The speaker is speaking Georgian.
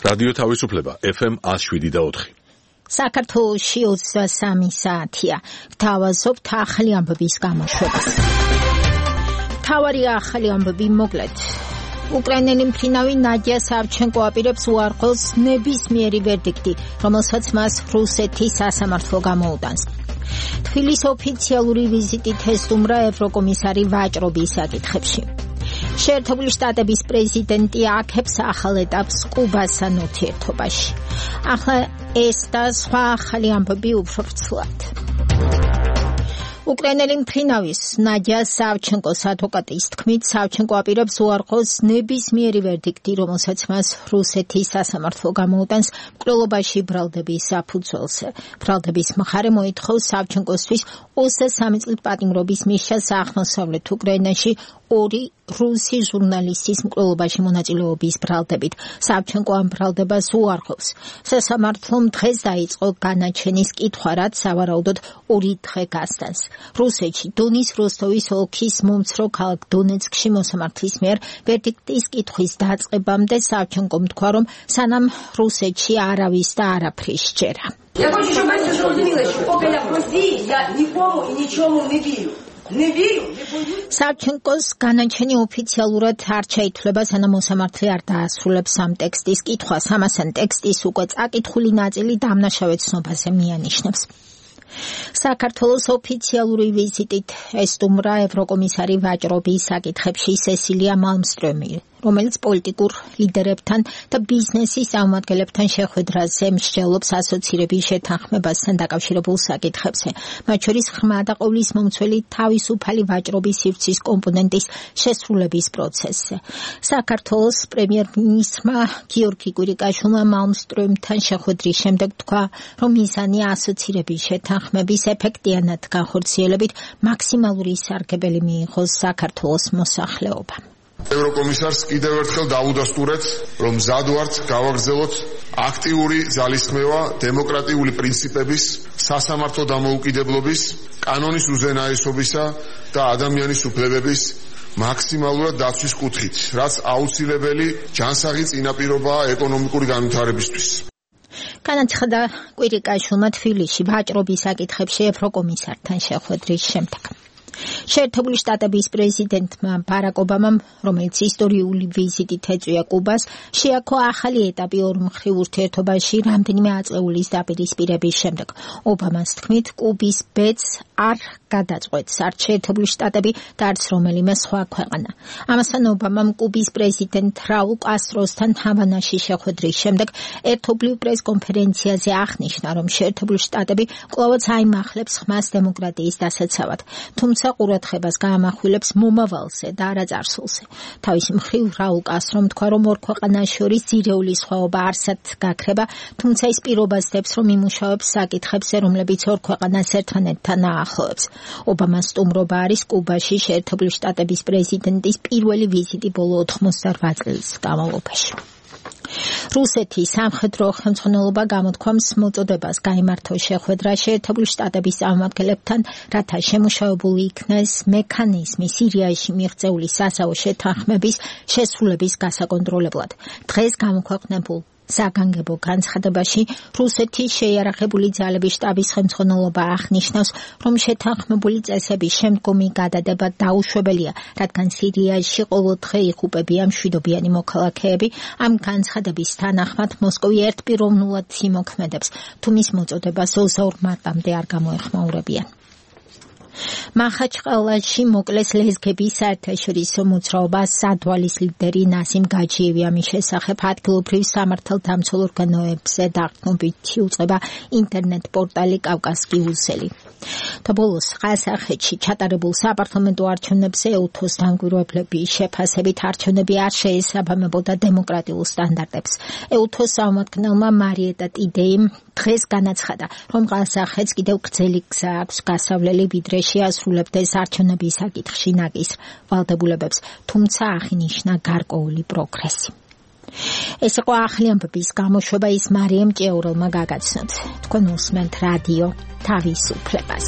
რადიო თავისუფლება FM 107.4. საქართველოში 23 საათია. გთავაზობთ ახალი ამბების გამოშვებას. მთავარი ახალი ამბები მოკლედ. უკრაინელი მფრინავი ნადია სავჩენკო აპირებს უარყოს ნებისმიერი ვერდიქტი, რომელსაც მას რუსეთის სასამართლო გამოუტანს. თბილისის ოფიციალური ვიზიტით ესტუმრა ევროკომისარი ვაჭრობის საკითხებში. შეერთებული შტატების პრეზიდენტი აქებს ახალ ეტაპს კუბასთან ურთიერთობაში. ახლა ეს და სხვა ახალი ამბები უფრო ფრთხილად. უკრაინელი მფრინავის ნადია სავჩენკოს ადვოკატის თქმით, სავჩენკო აპირებს უარყოს ნებისმიერი ვერდიქტი, რომელსაც მას რუსეთის სასამართლო გამოუტანს მკვლელობაში ბრალდების საფუძველზე. ბრალდების მხარე მოითხოვს სავჩენკოსთვის 23 წლით პატიმრობის მისცემს აღმოსავლეთ უკრაინაში 2 რუსი ჟურნალისტის მკვლელობაში მონაწილეობის ბრალდებით. სავჩენკო ამ ბრალდებას უარყოფს. სასამართლომ დღეს დაიწყო განაჩენის კითხვა, რაც სავარაუდოდ 2 დღე გასტანს. რუსეთში დონის როსტოვის ოლქის მომცრო ქალაქ დონეცკში მოსამართლის მიერ ვერდიქტის კითხვის დაწყებამდე სავჩენკომ თქვა, რომ სანამ რუსეთში არავის და არაფრის სჯერა. Я хочу, чтобы вы зрозумели, что пока я в России, я никому и ничему не верю. სავჩენკოს განაჩენი ოფიციალურად არ ჩაითვლება, სანამ მოსამართლე არ დაასრულებს ამ ტექსტის კითხვას. ამასთან ტექსტის უკვე წაკითხული ნაწილი დამნაშავე ცნობაზე მიანიშნებს. საქართველოს ოფიციალური ვიზიტით ესტუმრა ევროკომისარი ვაჭრობის საკითხებში სესილია მალმსტრომი, რომელიც პოლიტიკურ ლიდერებთან და ბიზნესის წარმომადგენლებთან შეხვედრაზე მსჯელობს ასოცირების შეთანხმებასთან დაკავშირებულ საკითხებზე, მათ შორის ღრმა და ყოვლის მომცველი თავისუფალი ვაჭრობის სივრცის კომპონენტის შესრულების პროცესზე. საქართველოს პრემიერ-მინისტრმა გიორგი კვირიკაშვილმა მალმსტრომთან შეხვედრის შემდეგ თქვა, რომ მიზანი ასოცირების შეთანხმების ეფექტიანად განხორციელებით მაქსიმალური სარგებელი მიიღოს საქართველოს მოსახლეობამ. ევროკომისარს კიდევ ერთხელ დავუდასტურეთ, რომ მზად ვართ გავაგრძელოთ აქტიური ძალისხმევა დემოკრატიული პრინციპების, სასამართლო დამოუკიდებლობის, კანონის უზენაესობისა და ადამიანის უფლებების მაქსიმალურად დაცვის კუთხით, რაც აუცილებელი ჯანსაღი წინაპირობაა ეკონომიკური განვითარებისთვის. განაცხადა კვირიკაშვილმა თბილისში ვაჭრობის საკითხებში ევროკომისართან შეხვედრის შემდეგ. შეერთებული შტატების პრეზიდენტმა ბარაკ ობამამ, რომელიც ისტორიული ვიზიტით ეწვია კუბას, შეაქო ახალი ეტაპი ორმხრივ ურთიერთობაში რამდენიმე აწეულის დაპირისპირების შემდეგ. ობამას თქმით, კუბის ბედს არ გადაწყვეტს არც შეერთებული შტატები და არც რომელიმე სხვა ქვეყანა. ამასთან ობამამ კუბის პრეზიდენტ რაულ კასტროსთან ჰავანაში შეხვედრის შემდეგ ერთობლივ პრესკონფერენციაზე აღნიშნა, რომ შეერთებული შტატები კვლავაც აიმახლებს ხმას დემოკრატიის დასაცავად, თუმცა ყურადღებას გაამახვილებს მომავალზე და არა წარსულზე. თავის მხრივ რაულ კასტრომ თქვა, რომ ორ ქვეყანას შორის ძირეული სხვაობა არსად გაქრება, თუმცა ის პირობას დებს, რომ იმუშავებს საკითხებზე, რომლებიც ორ ქვეყანას ერთმანეთთან აახლოებს. ობამას სტუმრობა არის კუბაში შეერთებული შტატების პრეზიდენტის პირველი ვიზიტი ბოლო 88 წლის განმავლობაში. რუსეთის სამხედრო ხელმძღვანელობა გამოთქვამს მოწოდებას გაიმართოს შეხვედრა შეერთებული შტატების წარმომადგენლებთან, რათა შემუშავებული იქნეს მექანიზმი სირიაში მიღწეული სასაო შეთანხმების შესრულების გასაკონტროლებლად. დღეს გამოქვეყნებულ საგანგებო განცხადებაში რუსეთის შეიარაღებული ძალების შტაბის ხელმძღვანელობა აღნიშნავს, რომ შეთანხმებული წესების შემდგომი გადადება დაუშვებელია, რადგან სირიაში ყოველ დღე იღუპებიან მშვიდობიანი მოქალაქეები. ამ განცხადების თანახმად მოსკოვი ერთპიროვნულად იმოქმედებს, თუ მის მოწოდებას 22 მარტამდე არ გამოეხმაურებიან. მახაჩყალაში მოკლეს ლეზგების საერთაშორისო მოძრაობა სადვალის ლიდერი ნასიმ გაჯიევი. ამის შესახებ ადგილობრივ სამართალდამცველ ორგანოებზე დაყრდნობითი უწყება ინტერნეტ პორტალი კავკასკი უსელი. და ბოლოს ყაზახეთში ჩატარებულ საპარლამენტო არჩევნებზე ეუთოს დამკვირვებლების შეფასებით არჩევნები არ შეესაბამებოდა დემოკრატიულ სტანდარტებს. ეუთოს წარმომადგენელმა მარიეტა ტიდეიმ დღეს განაცხადა, რომ ყაზახეთს კიდევ გრძელი გზა აქვს გასავლელი, ვიდრე შეასრულებდეს არჩევნების საკითხში ნაკისრ ვალდებულებებს, თუმცა აღინიშნა გარკვეული პროგრესი. ეს იყო ახალი ამბების გამოშვება, ის მარიამ ჭეურელმა გაგაცნოთ. თქვენ უსმენთ რადიო თავისუფლებას.